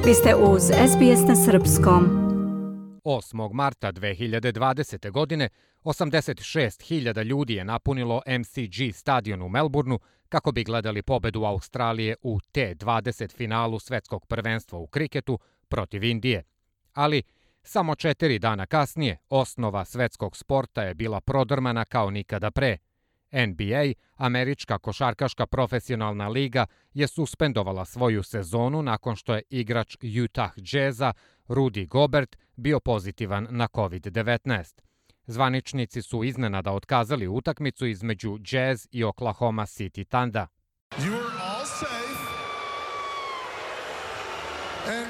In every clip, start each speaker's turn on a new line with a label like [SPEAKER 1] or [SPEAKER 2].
[SPEAKER 1] Vi ste uz SBS na srpskom.
[SPEAKER 2] 8. marta 2020. godine 86.000 ljudi je napunilo MCG stadion u Melbourneu kako bi gledali pobedu Australije u T20 finalu svetskog prvenstva u kriketu protiv Indije. Ali samo 4 dana kasnije osnova svetskog sporta je bila prodrmana kao nikada pre. NBA, američka košarkaška profesionalna liga, je suspendovala svoju sezonu nakon što je igrač Utah Jazza Rudy Gobert bio pozitivan na COVID-19. Zvaničnici su iznenada otkazali utakmicu između Jazz i Oklahoma City Thundera.
[SPEAKER 3] You are all safe. And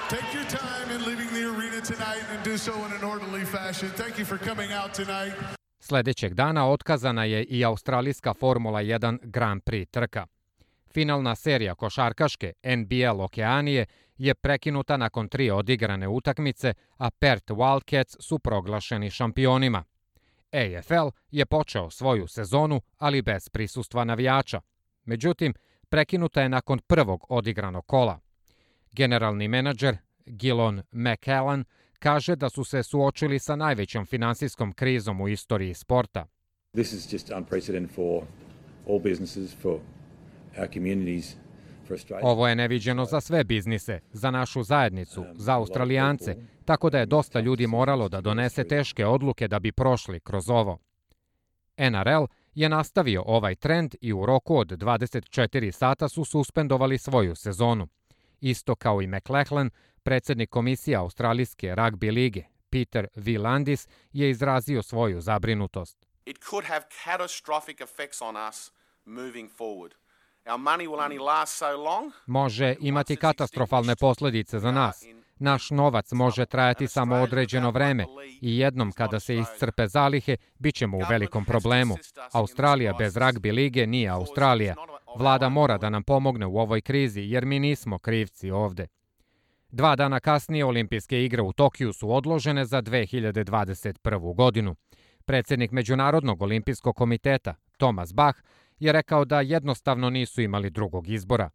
[SPEAKER 3] take your time in leaving the arena tonight and do so in an orderly fashion. Thank you for coming out tonight.
[SPEAKER 2] Sljedećeg dana otkazana je i australijska Formula 1 Grand Prix trka. Finalna serija košarkaške NBL Okeanije je prekinuta nakon 3 odigrane utakmice, a Perth Wildcats su proglašeni šampionima. AFL je počeo svoju sezonu, ali bez prisustva navijača. Međutim, prekinuta je nakon prvog odigranog kola. Generalni menadžer Gillon McCallan kaže da su se suočili sa najvećom finansijskom krizom u istoriji sporta.
[SPEAKER 4] This is just unprecedented for all businesses, for our communities, for Australia.
[SPEAKER 2] Ovo je neviđeno za sve biznise, za našu zajednicu, za Australijance, tako da je dosta ljudi moralo da donese teške odluke da bi prošli kroz ovo. NRL je nastavio ovaj trend i u roku od 24 sata su suspendovali svoju sezonu. Isto kao i McLachlan, predsjednik komisije Australijske ragbi lige, Peter V. Landis, je izrazio svoju zabrinutost.
[SPEAKER 5] It could have catastrophic effects on us moving forward. Our money will only last so long.
[SPEAKER 2] Može imati katastrofalne posljedice za nas. Naš novac može trajati samo određeno vreme i jednom kada se iscrpe zalihe, bit ćemo u velikom problemu. Australija bez ragbi lige nije Australija. Vlada mora da nam pomogne u ovoj krizi jer mi nismo krivci ovde. 2 dana kasnije olimpijske igre u Tokiju su odložene za 2021. godinu. Predsjednik Međunarodnog olimpijskog komiteta, Thomas Bach, je rekao da jednostavno nisu imali drugog izbora.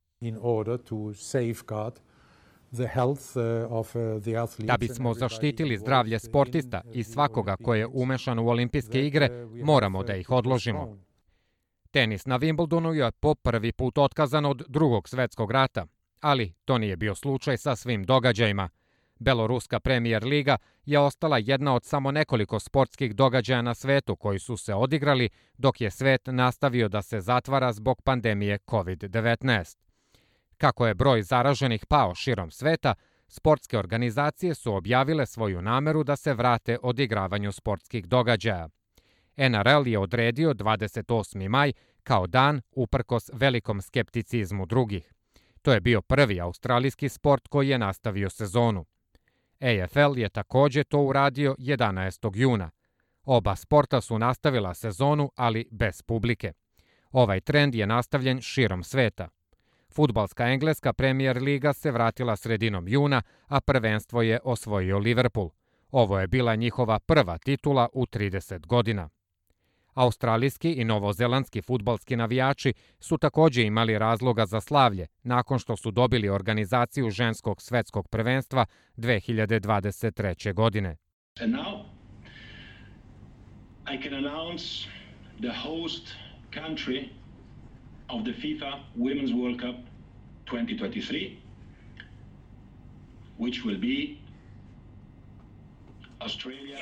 [SPEAKER 2] Da bismo zaštitili zdravlje sportista i svakoga ko je umešan u olimpijske igre, moramo da ih odložimo. Tenis na Wimbledonu je po prvi put otkazan od Drugog svjetskog rata, ali to nije bio slučaj sa svim događajima. Beloruska Premier liga je ostala jedna od samo nekoliko sportskih događaja na svetu koji su se odigrali dok je svet nastavio da se zatvara zbog pandemije COVID-19. Kako je broj zaraženih pao širom sveta, sportske organizacije su objavile svoju nameru da se vrate odigravanju sportskih događaja. NRL je odredio 28. maj kao dan uprkos velikom skepticizmu drugih. To je bio prvi australijski sport koji je nastavio sezonu. AFL je također to uradio 11. juna. Oba sporta su nastavila sezonu, ali bez publike. Ovaj trend je nastavljen širom sveta. Fudbalska engleska Premier liga se vratila sredinom juna, a prvenstvo je osvojio Liverpool. Ovo je bila njihova prva titula u 30 godina. Australijski i novozelandski fudbalski navijači su također imali razloga za slavlje nakon što su dobili organizaciju ženskog svetskog prvenstva 2023. godine.
[SPEAKER 6] And now I can announce the host country of the FIFA Women's World Cup 2023, which will be Australia.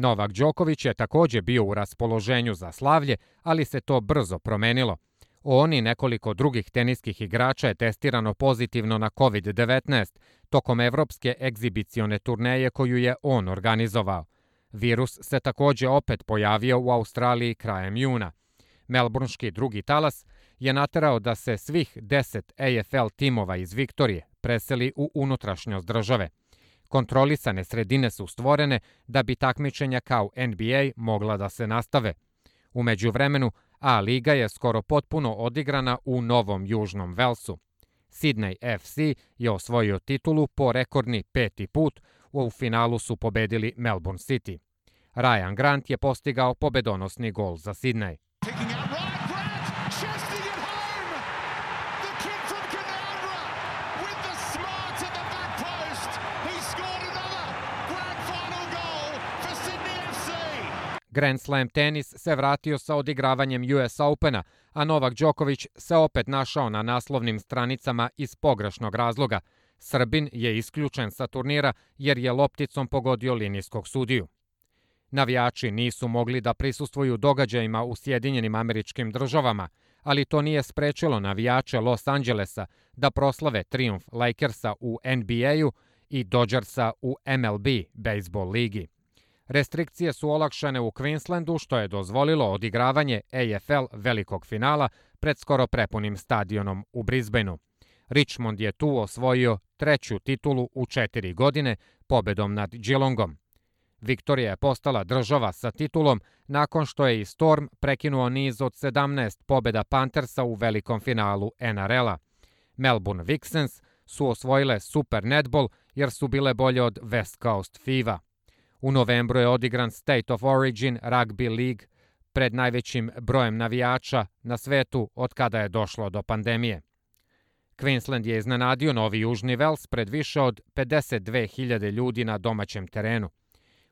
[SPEAKER 2] Novak Đoković je također bio u raspoloženju za slavlje, ali se to brzo promenilo. On i nekoliko drugih teniskih igrača je testirano pozitivno na COVID-19 tokom evropske egzibicione turneje koju je on organizovao. Virus se također opet pojavio u Australiji krajem juna. Melbourneški drugi talas je naterao da se svih 10 AFL timova iz Viktorije preseli u unutrašnjost države. Kontrolisane sredine su stvorene da bi takmičenja kao NBA mogla da se nastave. U međuvremenu, A liga je skoro potpuno odigrana u Novom Južnom Velsu. Sydney FC je osvojio titulu po rekordni 5. put, u finalu su pobedili Melbourne City. Ryan Grant je postigao pobedonosni gol za Sidney. Grand Slam tenis se vratio sa odigravanjem US Opena, a Novak Đoković se opet našao na naslovnim stranicama iz pogrešnog razloga. Srbin je isključen sa turnira jer je lopticom pogodio linijskog sudiju. Navijači nisu mogli da prisustvuju događajima u Sjedinjenim Američkim Državama, ali to nije sprečilo navijače Los Angelesa da proslave trijumf Lakersa u NBA-u i Dodgersa u MLB bejsbol ligi. Restrikcije su olakšane u Queenslandu, što je dozvolilo odigravanje AFL velikog finala pred skoro prepunim stadionom u Brisbaneu. Richmond je tu osvojio 3. titulu u 4 godine pobedom nad Geelongom. Viktorija je postala država sa titulom nakon što je i Storm prekinuo niz od 17 pobeda Panthersa u velikom finalu NRL-a. Melbourne Vixens su osvojile Super Netball jer su bile bolje od West Coast Fiva. U novembru je odigran State of Origin Rugby League pred najvećim brojem navijača na svetu od kada je došlo do pandemije. Queensland je iznenadio Novi Južni Vels pred više od 52.000 ljudi na domaćem terenu.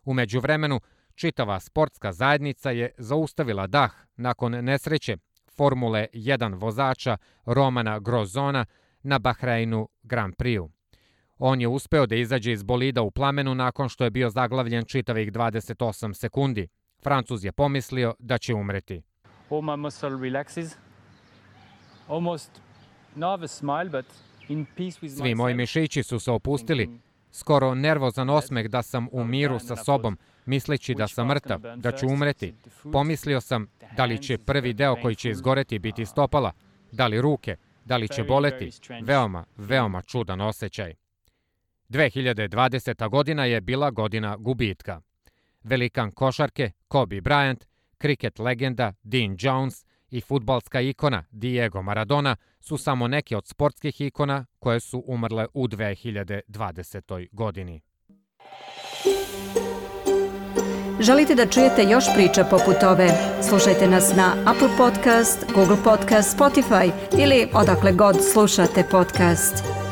[SPEAKER 2] U međuvremenu, čitava sportska zajednica je zaustavila dah nakon nesreće Formule 1 vozača Romana Grosjeana na Bahreinu Grand Prix-u. On je uspeo da izađe iz bolida u plamenu nakon što je bio zaglavljen čitavih 28 sekundi. Francuz je pomislio da će umreti.
[SPEAKER 7] All my muscle relaxes. Almost nervous smile, but in peace with
[SPEAKER 2] Svi moji mišići su se opustili. Skoro nervozan osmeh da sam u miru sa sobom, misleći da sam mrtav, da ću umreti. Pomislio sam da li će prvi deo koji će izgoreti biti stopala, da li ruke, da li će boleti. Veoma čudan osjećaj. 2020. godina je bila godina gubitka. Velikan košarke Kobe Bryant, kriket legenda Dean Jones i fudbalska ikona Diego Maradona su samo neke od sportskih ikona koje su umrle u 2020. godini.
[SPEAKER 1] Želite da čujete još priča poput ove? Slušajte nas na Apple Podcast, Google Podcast, Spotify ili odakle god slušate podcast.